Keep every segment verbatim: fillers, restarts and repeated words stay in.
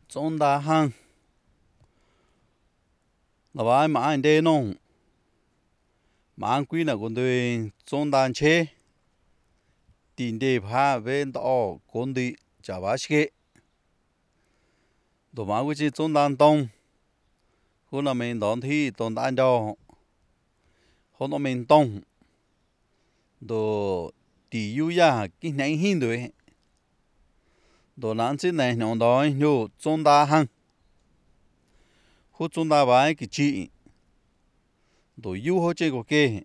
Trốn đá hăng là bài mà anh đê nông mà anh quý là con đôi trốn đá chế tiền đề phá về đó con đi trả bá xe đồ mà quý chỉ trốn đá đông hôm nay mình đón thi đón đá đó hôm nay mình đông đồ tỷ yêu ya cái này hin rồi đồ nãy chỉ này nhung đó nhung trốn đá hăng hút trốn đá bài cái chị đồ yêu họ chơi cái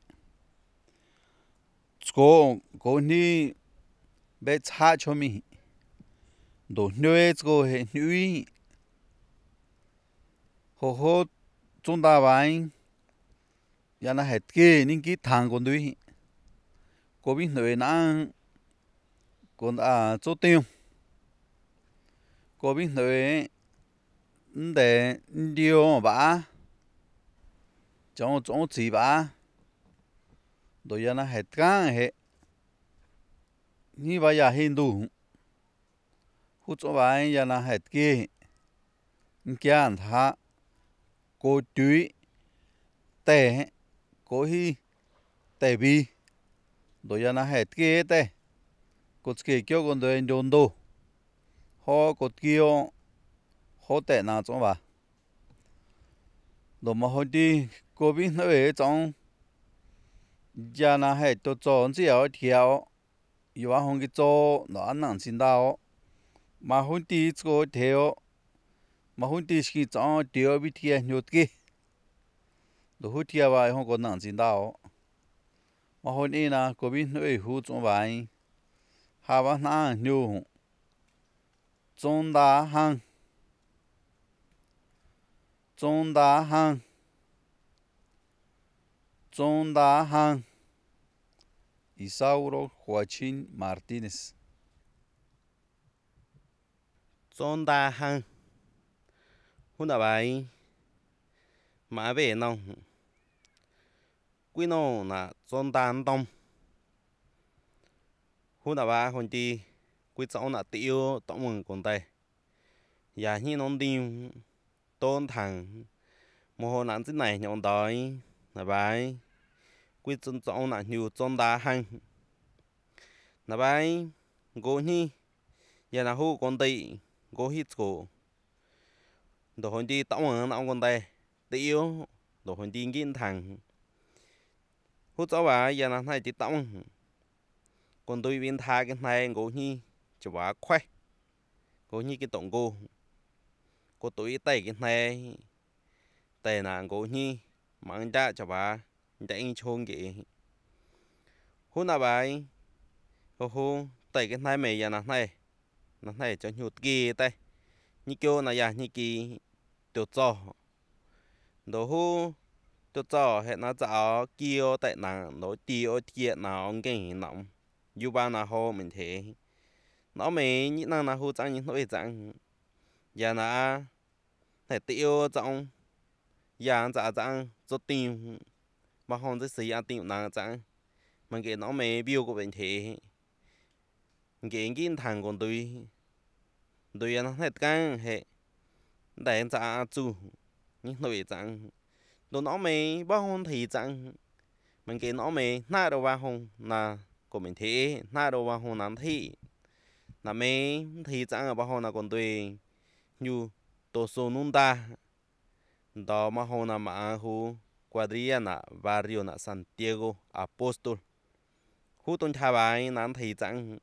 cô cô ni bé cha cho mi đồ nuôi cô hệ nuôi hồ hồ chúng ta vậy giờ nó hết kia những cái thằng con đuôi cô biết nuôi nó còn à chỗ tiêu cô biết nuôi để điều bà trong trong chỉ bà đồ giờ nó hết cả hết như vậy giờ hiện đủ hút chỗ vậy giờ nó hết kia cái anh ta cô chuối tệ cô hi tệ bi đồ giờ nó hết kia tệ cô kia kêu con đôi nhon đồ họ cô kêu họ tệ nào chỗ bà đồ mà họ đi cô biết nó về trong giờ nó hết tôi cho chỉ ở theo yêu anh không cái cho nó ăn nặng xin đau mà họ đi cho theo mà họ đi khi cho theo bị theo nhột kia đồ họ theo vậy không có nặng xin đau mà họ đi na cô biết nó về hút trong vậy hà bá na nhiều trong đá hang trong đá hang trong đá hang Isauro Joaquín Martínez Trốn đá hăng hôm nào bài mà về nông quy nô là trốn đá đông hôm nào bài hôm đi quy cháu là tiêu tổng mừng con tay nhà như nông đi tôn thằng một hồ nạn thế này nhọn đói là bài quy trốn cháu là nhiều trốn đá hăng là bài gỗ như giờ là hú con tay gỗ hít cổ đồ hôm đi tổng mừng ông con tay tiêu đồ hôm đi nghiên thằng hút cháu bài giờ là này chỉ tổng còn tôi viên tha cái này gỗ như cho bà khoe gỗ như cái tổng cô cô tôi tay cái này tay nàng gỗ như mang ra cho bà chạy chôn kỹ hôm nào bài hô hô tay cái này mày giờ nào này nó này cho nhụt kia tay như kêu là giờ như kỳ tiểu trò đồ hô tiểu trò hệ nó找kêu tại nàng nói tiêu thiệt nào ông cái nọng dù ba nào hồ mình thế nó mày như nào nào hồ trang những nỗi trang giờ là thể tiêu trong giờ giả trang cho tiền mà không thể sử dụng tiền nào trang mà cái nó mày biểu của mình thế cái cái thằng con tôi tôi nó hết căng hệ để giả chủ những nỗi trang đồ nó mày bao hôn thì trang mình cái nó mày na đâu bao hôn là của mình thế na đâu bao hôn nắn thị là mấy thì chẳng ở bao hôn là còn tùy như tổ số nung ta đó mà hôn là mà hu Guadriana barrio na Santiago Apostol hu tôn thà bài nắn thì chẳng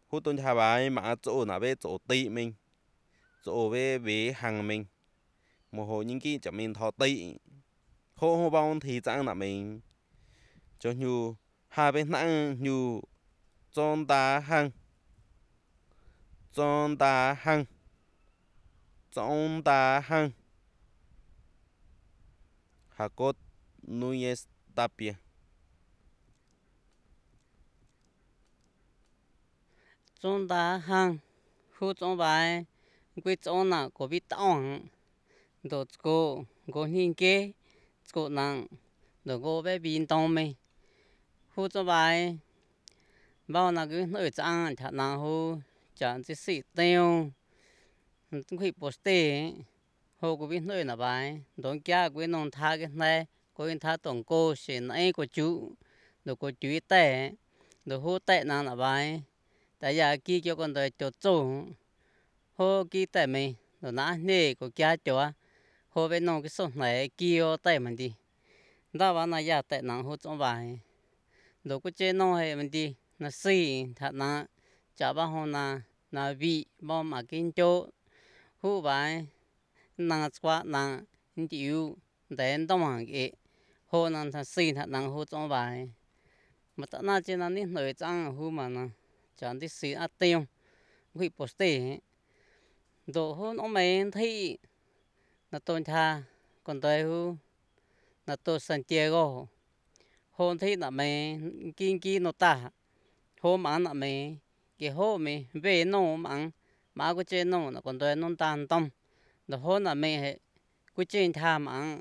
hu tôn thà bài mà chỗ là về chỗ tị mình chỗ về về hàng mình một hồ những cái chợ mình thọ tị hô hô bao thì chẳng là mình cho như hai bên nặng như trong đá hang trong đá hang trong đá hang Jacob Núñez Tapia trong đá hang hút trong bài quy trong là có biết tao đồ cô có nhìn kia cô nặng đồ cô bé bin tông mày hút trong bài bao là cứ nơi trang chả nào hút chẳng chỉ xịt tiêu quỷ poste hồ của biết nơi là bài đón kia của nông tha cái này của tha tổng cô sẽ nãy của chú rồi của chú tệ rồi hô tệ nào là bài tại giờ kia cho con đời cho chủ hô kia tệ mình rồi nã nề của kia cho hô bên nông cái số này kia tệ mình đi đó vào này giờ tệ nào hô trong bài rồi có chơi nông hay mình đi là xì thật là chả bao hôm na là vị bao mà kinh chỗ hô bài nàng qua nàng chịu đến đông hàng cái hồ nàng thật xì thật nàng hồ trong bài mà tao nói trên này nổi trắng hồ mà nàng chẳng đi xì ăn tiêu quỷ poste đồ hồ nó mấy thấy là tôn tha còn tới hồ là tôi Santiago hồ thấy là mấy kinh kinh nó ta hồ mà là mấy cái hồ mấy về nó mà mà có chơi nó là còn tới nó tan tâm đồ hồ là mấy quy trình tham ăn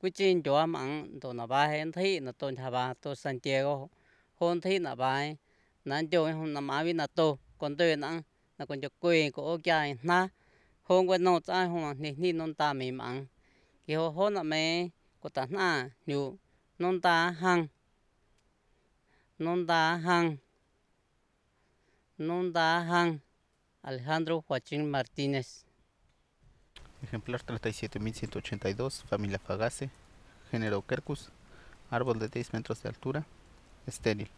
quy trình cho ăn đồ là bài hiện thị là tôn thà bà tôi Santiago hôn thị là bài nên cho hôn là má vi là tôi còn tôi là là còn cho quê của cái na hôn quên nó trái hôn thì ni non ta mì ăn cái hôn là mẹ của ta na nhiều non ta hăng non ta hăng non ta hăng Alejandro Joaquín Martínez. Ejemplar treinta y siete mil ciento ochenta y dos, familia Fagace, género Quercus, árbol de diez metros de altura, estéril.